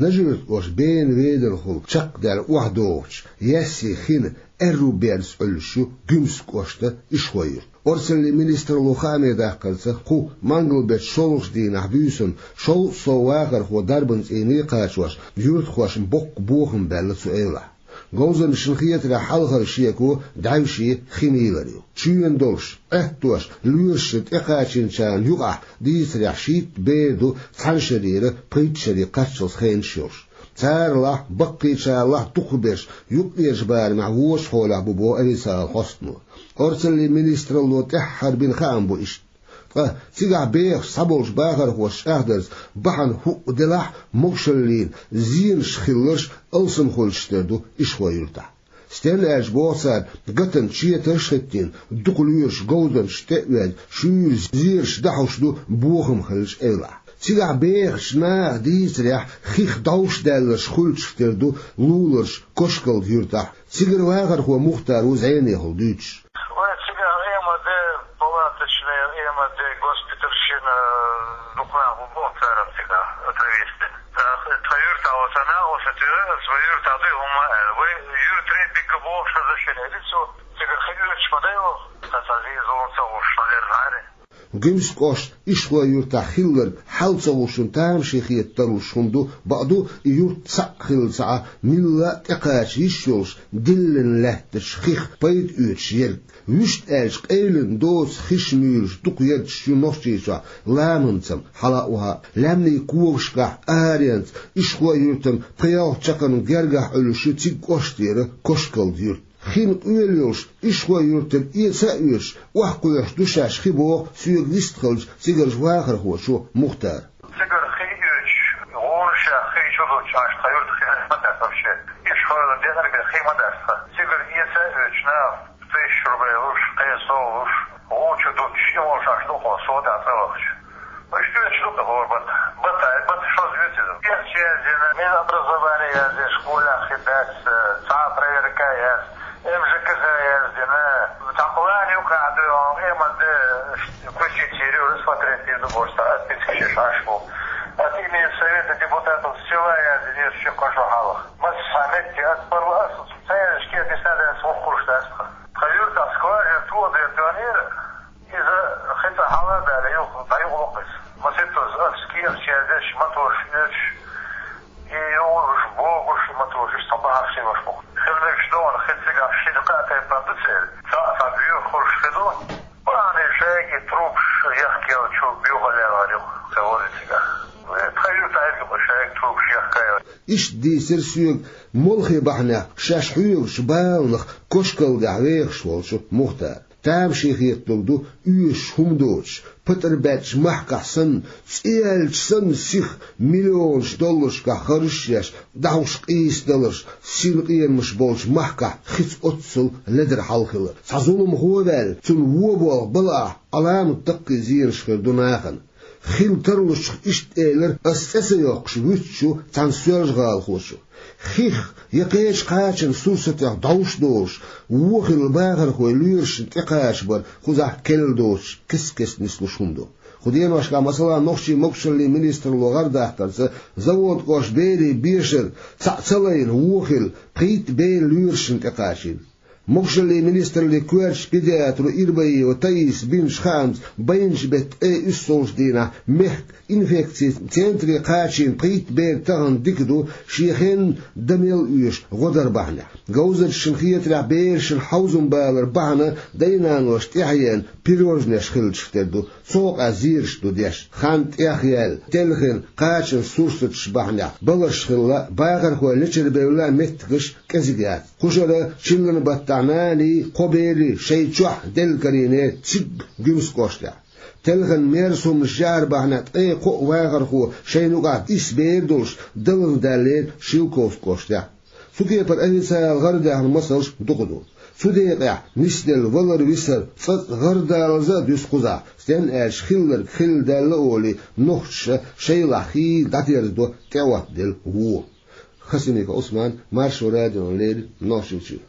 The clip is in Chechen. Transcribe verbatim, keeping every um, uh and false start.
Нажи-Юьртан кӀоштан Бена-Веданхула чакхдаьлла охьадогӀучу Яьсси хин аьрру берза Ӏуьллуш ю Гуьмсан кӀоштан Ишхой-Юрт. Орцаллин министралло хаамийн даккхарца, кху мангал-беттан шолгӀачу дийнахь буьйсанна шовзткъа сов вахархо дарбан цӀийне кхачош, юьртахошна боккха бохам баьлла цу эвлахь. Говзанчашна хетарехь, хьалхара шеко дӀаьвше хи мийлар ю. Чоьнан долуш, Ӏеттош, лоьрашна тӀекхачийначарна юкъахь дийцарехь шийтта бер ду цхьана шарера пхийтта шаре кхаччалц хенаш йолуш. Царалахь, баккхийчаралахь дукхахберш юккъерчу барамехь вочу хьолехь бу боху официалан хьостано. Орцаллин министралло тӀаьххьара бина хаам бу иштта. Ткъа цигахь бехаш цхьаболчу бахархоша чӀагӀдарца, бахьана хӀуъа делахь а, могушаллина зенаш хиларш алсамхуьлуш тера ду Ишхой-Юьртахь. Стенна аьлча, боху цара, гатанан четарш а хӀиттийна, дукха лоьраш говзанчашна тӀе а оьзна, шуьйра зераш дӀахьуш ду бохам хиллачу эвлахь. Цигахь бехачу наха дийцарехь, хих дӀовш даьлларш хуьлуш тера ду луларчу Кошкалда-Юьртахь. Цигара вахархо Мухтар ву зӀенехула дуьйцуш. Вай цигахь МВД палаташна, МВД госпитальшна дукха нах бу боху царах цигахь, отравиться дина. ТӀаккха тхан юьртахь оцу наха, оцу тӀера, аса вай юьртахь дуй хӀума аьлла. Вай юьртара дика бохуш хаза шине ди цо, цигара хи оьцуш ма дай ваха, сан цхьа зен-зулам ца гӀуш, сан лерзахьара. Гуьмсан кӀоштан Ишхой-Юьртахь хилларг хьал ца гӀуш, тамашийна хета тарлуш хӀума ду, бакъду, и юрт цхьаъ хилла ца Ӏа, милла а тӀекхача йиш йолуш, диллина лаьттачу хих пайда оьцуш ерг. Вуьшта аьлча, къевлина доцу хиш муьйлуш дукха ярташ ю Нохчийчохь, ламанцам, хьала а, охьа а. Лаьмнийн когашкахь аренца, Ишхой-Юьртана пхи-ялх чаккхарма гергахь Ӏуьллуш ю цига кӀоштера Кошкалда-Юрт. Хин къоьлла йолуш, Ишхой-Юьртара эца а оьцуш, охьакхоьхьуш ду шаьш хи боху соьга вистхиллачу цигарчу вахархочо Мухтара. Цигара хи оьцуш, гӀонашех хи чу дуттуш, аша тхан юьртах хи ма дац вообще. Ишхойла декъаргара хи ма дац тхан. Цигара эца а оьцуш наха, тысяча рублей луш, кхин сов луш, гӀу чу дуттуш, и волуш аша дукха сов дац цӀа вахча. Иштта оьцуш ду-кх хӀора бата. Бата, бата шозза оьцу иза. Кехат яздина, Минобразование яздина, школехь хи дац, цхьа а проверка яц, МЖКХ яздина. Цхьа план юкъахь ду, МВД включить йийр ю, рассмотреть йийр ду бохуш, цхьа отписка шиш Ӏаш бу. От имени Совета депутатов села яздина, ши-кхо шо хьалха. Массо а метте ас парла ас, ца яздича кехат дисна дац, вукхуьлуш дац тхан. Тхан юьртахь скважина тоха дерг тоьхнера, иза хи цкъа хьала а даьлла, юха, дӀаюкъалу-кх иза. Маситтаза ас кехат яздеш, мотораш оьцуш, и югӀуш, богуш, и мотораш, иштта цхьа бахьарш йолуш бу-кх. Хила мегаш ду хьуна хи цигахь шина кхаа тайпана ду церан. Цхьаъ цхьа боьха хуьлуш хи ду. Бахьана шайга и трубаш яхка яьлла чу боьха лелхар ю-кх, ца вари цигахь. Тхан юьртахь а ду-кх шайга трубаш яхка яьлла. Иштта дийцира соьга молхе бахьанехь шаьш хьоьгучу баланах Кошкалдехь вехаш волчу Мухтара. Тамашийна хеталур ду оьшуш хӀума доцуш, патӀар баьддачу махкахь санна, цӀе яьлча санна сиха миллионаш долларшкахь харжаш а еш, дӀахьуш къийсадаларш, синкъенамаш болчу махкахь хица оццул ледара хьал хилар. Цхьа зуламхо а ваьлла, цунна вон болх бала ахь, Ӏаламат даккхий зенаш хир ду нахана. Хила тарлучух иштта элира, ас цӀе ца йоккхуш вуьтуш ву цхьана соьлжа-гӀалахочо. Хих я кхечу кхачан сурсатех дӀовш долуш, вон хилла бахархой лоьрашна тӀекхачабар кхузахь керла доцуш кест-кеста нислуш хӀума ду. Кху деношкахь, масала, нохчийн могушаллин министралло гӀардаккхарца, Заводкъоштан берийн бешара цхьаъ ца лайна вон хилла, пхийтта бер лоьрашна тӀекхачийна. Могушаллин министраллин коьртачу педиатро Ирбаиева Таисас бинчу хаамца, байначу беттан ткъе уьссалгӀачу дийнахь мехкан инфекцин центре кхачийна пхийтта бер тахана дика ду, шен хенна дан мел оьшу гӀо дар бахьанехь. Говзанчашна хетарехь, берашна хьовзам балар бахьана дай-наноша тӀаьхьенна пирожнеш хилчух тера ду, цу хьокъехь зераш ду деш. Хан тӀехъяьлла, телхина, кхачан сурсаташ бахьанехь балхаш хилла, бахархой лечарбевлла меттигаш кӀезиг яц. Кху шарахь чиллан баттахь наний, кхо берий шайн чохь делла карийнера цига Гуьмсан кӀоштехь. Телхина мерза хӀуманаш яар бахьанехь ткъе кхоъ вахархо шайна юкъахь исс бер долуш далла даьллера Шелковски кӀоштехь. Цу кепара официалан гӀарадаьхна масалш дукха ду. Цу декъехь нисделла валар-висар цкъацкъа гӀарадалаза а дуьсу кхузахь, стенна аьлча хилларг хилла даьлла олий, нохчаша шайлахь хийла дӀадерзадо тӀеоттаделла вон. Хасимиков Ӏусман, Маршо радиона леррина, Нохчийчуьра.